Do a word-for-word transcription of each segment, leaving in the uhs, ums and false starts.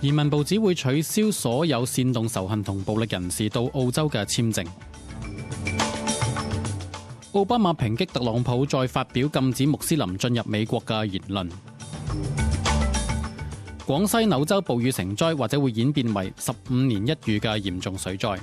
移民部只會取消所有煽動仇恨同暴力人士到澳洲嘅簽證。奧巴馬抨擊特朗普再發表禁止穆斯林進入美國嘅言論。廣西柳州暴雨成災，或者會演變為十五年一遇嘅嚴重水災。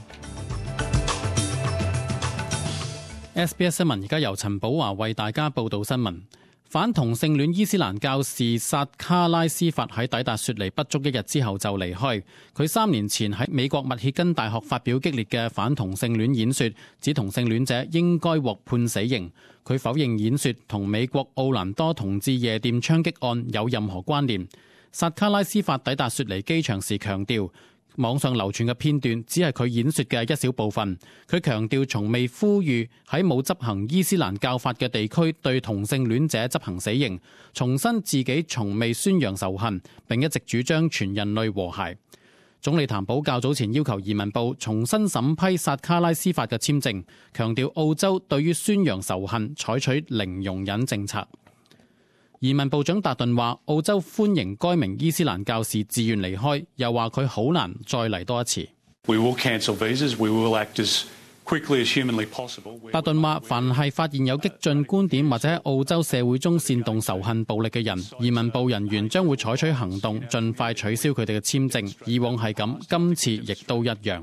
S B S 新聞而家由陳寶華為大家報道新聞。反同性戀伊斯蘭教士薩卡拉斯法喺抵達雪梨不足一日之後就離開。佢三年前喺美國密歇根大學發表激烈嘅反同性戀演說，指同性戀者應該獲判死刑。佢否認演說同美國奧蘭多同志夜店槍擊案有任何關聯。薩卡拉斯法抵達雪梨機場時強調，網上流傳嘅片段只係佢演說嘅一小部分。佢強調從未呼籲喺冇執行伊斯蘭教法嘅地區對同性戀者執行死刑，重申自己從未宣揚仇恨，並一直主張全人類和諧。總理譚寶較早前要求移民部重新審批薩卡拉斯法嘅簽證，強調澳洲對於宣揚仇恨採取零容忍政策。移民部長達頓話，澳洲歡迎該名伊斯蘭教士自願離開，又話佢好難再嚟多一次。We will cancel visas. We will act as quickly as humanly possible. 達頓話，凡係發現有激進觀點或者喺澳洲社會中煽動仇恨暴力嘅人，移民部人員將會採取行動，盡快取消佢哋嘅簽證。以往係咁，今次亦都一樣。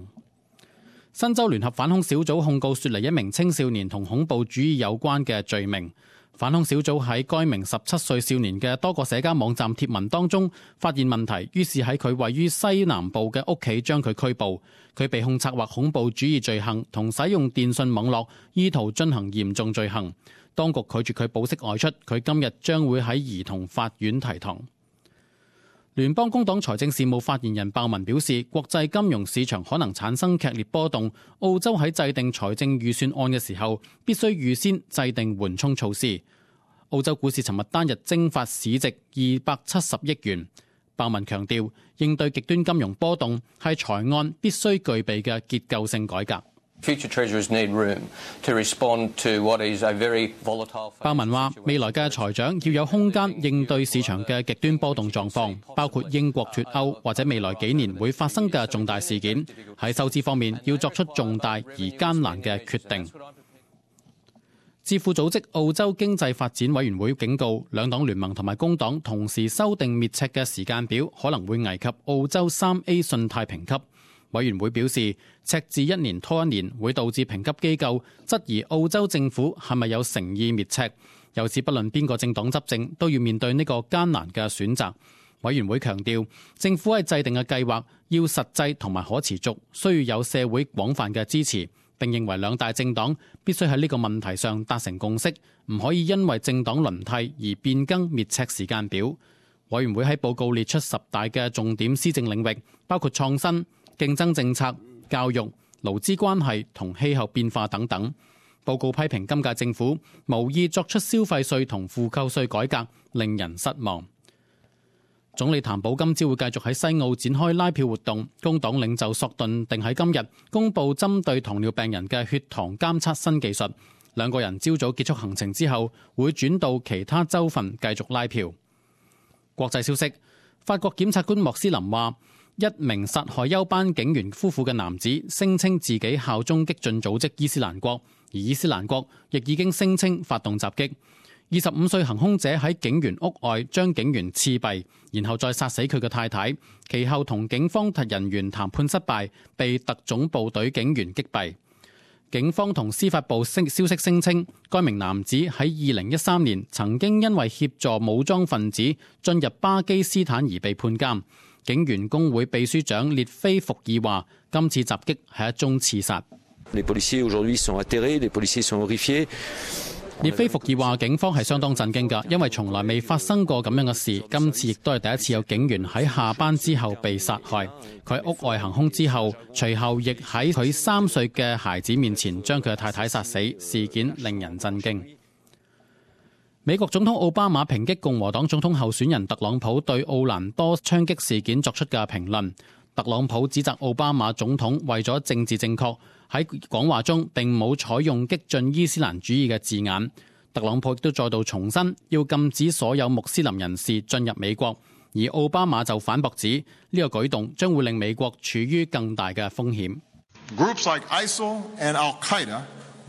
新州聯合反恐小組控告雪梨一名青少年同恐怖主義有關嘅罪名。反恐小組喺該名十七歲少年嘅多個社交網站貼文當中發現問題，於是喺佢位於西南部嘅屋企將佢拘捕。佢被控策劃恐怖主義罪行同使用電訊網絡意圖進行嚴重罪行。當局拒絕佢保釋外出，佢今日將會喺兒童法院提堂。聯邦工黨財政事務發言人鮑文表示，國際金融市場可能產生劇烈波動，澳洲喺制定財政預算案嘅時候必須預先制定緩衝措施。澳洲股市尋日單日蒸發市值二百七十億元。鮑文強調，應對極端金融波動係財案必須具備嘅結構性改革。鮑文話，未來嘅財長要有空間應對市場嘅極端波動狀況，包括英國脫歐或者未來幾年會發生嘅重大事件。喺收支方面要作出重大而艱難嘅決定。智庫組織澳洲經濟發展委員會警告，兩黨聯盟同埋工黨同時修訂滅赤嘅時間表，可能會危及澳洲三 A 信貸評級。委員會表示，赤字一年拖一年會導致評級機構質疑澳洲政府係咪有誠意滅赤，由此不論邊個政黨執政都要面對呢個艱難嘅選擇。委員會強調，政府喺制定嘅計劃要實際同埋可持續，需要有社會廣泛嘅支持，並認為兩大政黨必須喺呢個問題上達成共識，唔可以因為政黨輪替而變更滅赤時間表。委員會喺報告列出十大嘅重點施政領域，包括創新、競爭政策、教育、勞資關係同氣候變化等等。報告批評今屆政府無意作出消費稅同負扣稅改革，令人失望。總理譚寶今朝會繼續喺西澳展開拉票活動。工黨領袖索頓定喺今日公布針對糖尿病人嘅血糖監測新技術。兩個人朝早結束行程之後，會轉到其他州份繼續拉票。國際消息，法國檢察官莫斯林話，一名殺害休班警員夫婦嘅男子聲稱自己效忠激進組織伊斯蘭國，而伊斯蘭國亦已經聲稱發動襲擊。二十五歲行兇者喺警員屋外將警員刺斃，然後再殺死佢嘅太太，其後同警方人員談判失敗，被特種部隊警員擊斃。警方同司法部消息聲稱，該名男子喺二零一三年曾經因為協助武裝分子進入巴基斯坦而被判監。警員工會秘書長列菲伏爾話，今次襲擊係一宗刺殺。列菲伏爾話，警方係相當震驚㗎，因為從來未發生過咁樣嘅事。今次亦都係第一次有警員喺下班之後被殺害。佢喺屋外行兇之後，隨後亦喺佢三歲嘅孩子面前將佢嘅太太殺死。事件令人震驚。美國總統奧巴馬抨擊共和黨總統候選人特朗普對奧蘭多槍擊事件作出嘅評論。特朗普指責奧巴馬總統為咗政治正確，喺講話中並冇採用激進伊斯蘭主義嘅字眼。特朗普亦都再度重申要禁止所有穆斯林人士進入美國，而奧巴馬就反駁指呢個舉動將會令美國處於更大嘅風險。Groups like I S I L and Al-Qaeda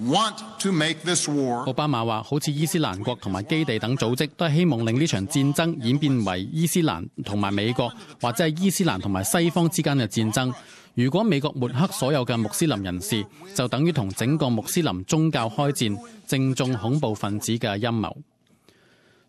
want to make this war. 奧巴馬話：好似伊斯蘭國同埋基地等組織都係希望令呢場戰爭演變為伊斯蘭同埋美國，或者係伊斯蘭同埋西方之間嘅戰爭。如果美國抹黑所有嘅穆斯林人士，就等於同整個穆斯林宗教開戰，正中恐怖分子嘅陰謀。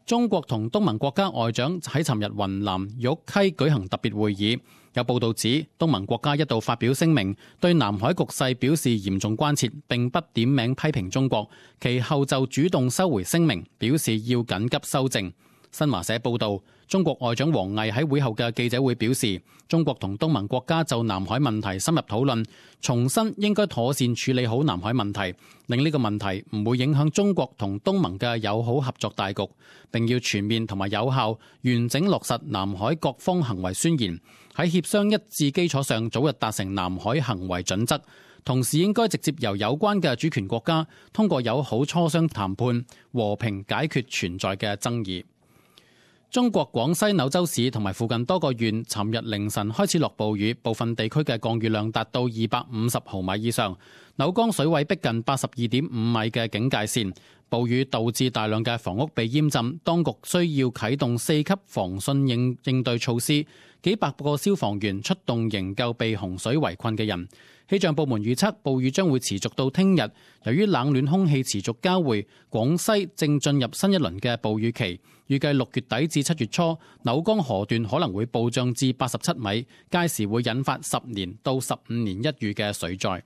中國同東盟國家外長喺尋日雲南玉溪舉行特別會議，有報道指東盟國家一度發表聲明，對南海局勢表示嚴重關切，並不點名批評中國，其後就主動收回聲明，表示要緊急修正。新華社報道，中國外長王毅喺會後嘅記者會表示，中國同東盟國家就南海問題深入討論，重申應該妥善處理好南海問題，令呢個問題唔會影響中國同東盟嘅友好合作大局，並要全面同埋有效完整落實南海各方行為宣言，喺協商一致基礎上早日達成南海行為準則，同時應該直接由有關嘅主權國家通過友好磋商談判和平解決存在嘅爭議。中國廣西柳州市同埋附近多個縣尋日凌晨開始落暴雨，部分地區嘅降雨量達到二百五十毫米以上，柳江水位逼近八十二點五米嘅警戒線。暴雨導致大量嘅房屋被淹浸，當局需要啟動四級防汛應應對措施，幾百個消防員出動營救被洪水圍困嘅人。氣象部門預測暴雨將會持續到聽日，由於冷暖空氣持續交匯，廣西正進入新一輪嘅暴雨期，預計六月底至七月初，柳江河段可能會暴漲至八十七米，屆時會引發十年到十五年一遇嘅水災。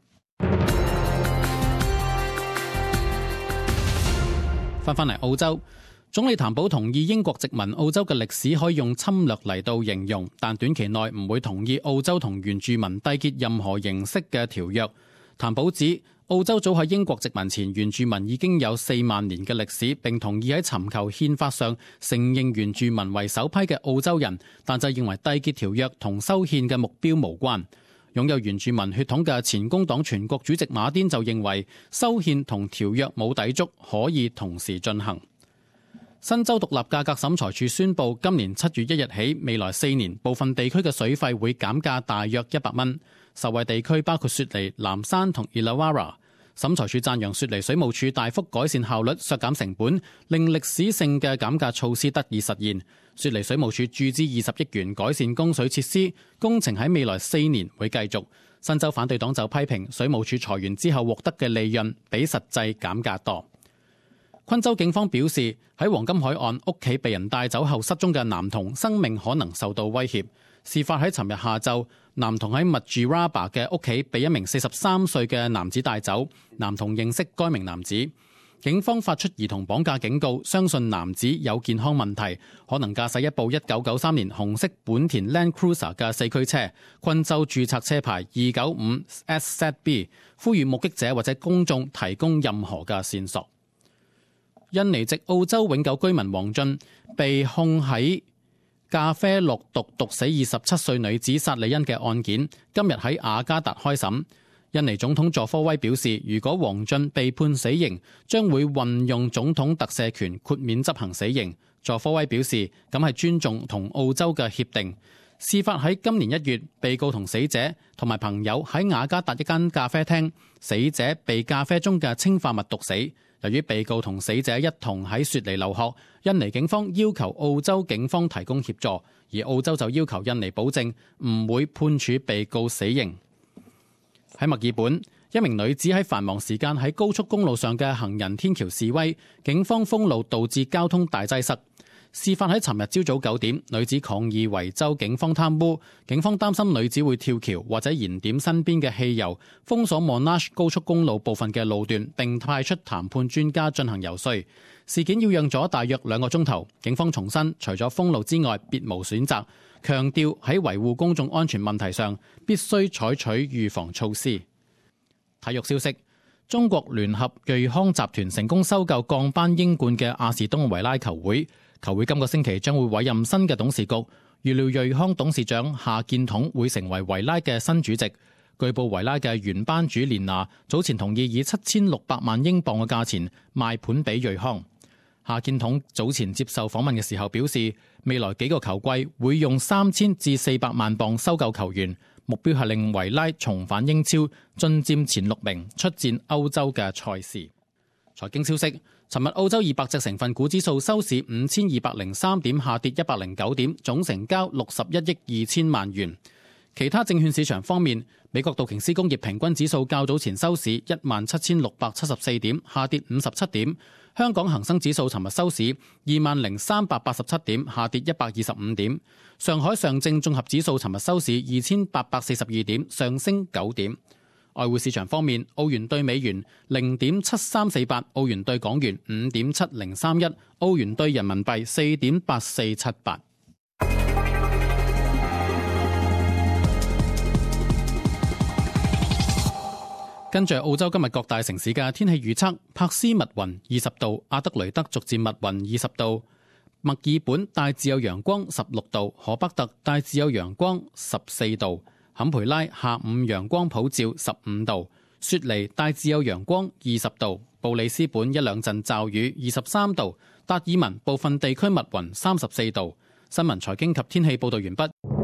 翻返嚟澳洲，總理譚寶同意英國殖民澳洲嘅歷史可以用侵略嚟到形容，但短期內唔會同意澳洲同原住民締結任何形式嘅條約。譚寶指澳洲早喺英國殖民前，原住民已經有四萬年嘅歷史，並同意喺尋求憲法上承認原住民為首批嘅澳洲人，但就認為締結條約同修憲嘅目標無關。擁有原住民血統嘅前工黨全國主席馬甸就認為修憲同條約冇抵觸，可以同時進行。新州獨立價格審裁處宣布，今年七月一日起，未來四年部分地區嘅水費會減價大約一百蚊。受惠地區包括雪梨、藍山同 Illawarra。審裁處讚揚雪梨水務署大幅改善效率、削減成本，令歷史性嘅減價措施得以實現。雪梨水務署注資二十億元改善供水設施，工程喺未來四年會繼續。新州反對黨就批評水務署裁員之後獲得嘅利潤比實際減價多。昆州警方表示，喺黃金海岸屋企被人帶走後失蹤嘅男童生命可能受到威脅。事發喺尋日下晝，男童喺 Mudgeeraba 嘅屋企被一名四十三歲嘅男子帶走，男童認識該名男子。警方發出兒童綁架警告，相信男子有健康問題，可能駕駛一部一九九三年紅色本田 Land Cruiser 嘅四驅車，昆州註冊車牌二九五 S Z B， 呼籲目擊者或者公眾提供任何嘅線索。印尼籍澳洲永久居民王俊被控喺咖啡落毒毒死二十七歲女子薩利恩嘅案件，今日喺雅加達開審。印尼總統佐科威表示，如果王俊被判死刑，將會運用總統特赦權豁免執行死刑。佐科威表示，咁係尊重同澳洲嘅協定。事發喺今年一月，被告同死者同埋朋友喺雅加達一間咖啡廳，死者被咖啡中嘅氰化物毒死。由於被告同死者一同喺雪梨留學，印尼警方要求澳洲警方提供協助，而澳洲就要求印尼保證唔會判處被告死刑。喺墨爾本，一名女子喺繁忙時間喺高速公路上嘅行人天橋示威，警方封路導致交通大擠塞。事發喺尋日朝早九點，女子抗議維州警方貪污，警方擔心女子會跳橋或者燃點身邊嘅汽油，封鎖 Monash 高速公路部分嘅路段，並派出談判專家進行游說。事件要用咗大約兩個鐘頭，警方重申除咗封路之外別無選擇，強調喺維護公眾安全問題上必須採取預防措施。體育消息，中國聯合瑞康集團成功收購降班英冠嘅亞士東維拉球會。球會今個星期將會委任新嘅董事局，預料瑞康董事長夏建統會成為維拉嘅新主席。據報維拉嘅原班主連拿早前同意以七千六百萬英鎊嘅價錢賣盤俾瑞康。夏建統早前接受訪問嘅時候表示，未來幾個球季會用三千至四百萬鎊收購球員，目標係令維拉重返英超，進佔前六名，出戰歐洲嘅賽事。財經消息，尋日澳洲二百隻成分股指數收市五千二百零三點，下跌一百零九點，總成交六十一億二千萬元。其他證券市場方面，美國道瓊斯工業平均指數較早前收市一萬七千六百七十四點，下跌五十七點。香港恒生指數尋日收市二萬零三百八十七點，下跌一百二十五點。上海上證綜合指數尋日收市二千八百四十二點，上升九點。外匯市場方面，澳元對美元零點七三四八，澳元對港元五點七零三一，澳元對人民幣四點八四七八。跟住澳洲今日各大城市嘅天氣預測：珀斯密雲二十度，阿德雷德逐漸密雲二十度，墨爾本大致有陽光十六度，荷北特大致有陽光十四度，坎培拉下午陽光普照十五度，雪梨大致有陽光二十度，布里斯本一兩陣驟雨二十三度，達爾文部分地區密雲三十四度。新聞財經及天氣報道完畢。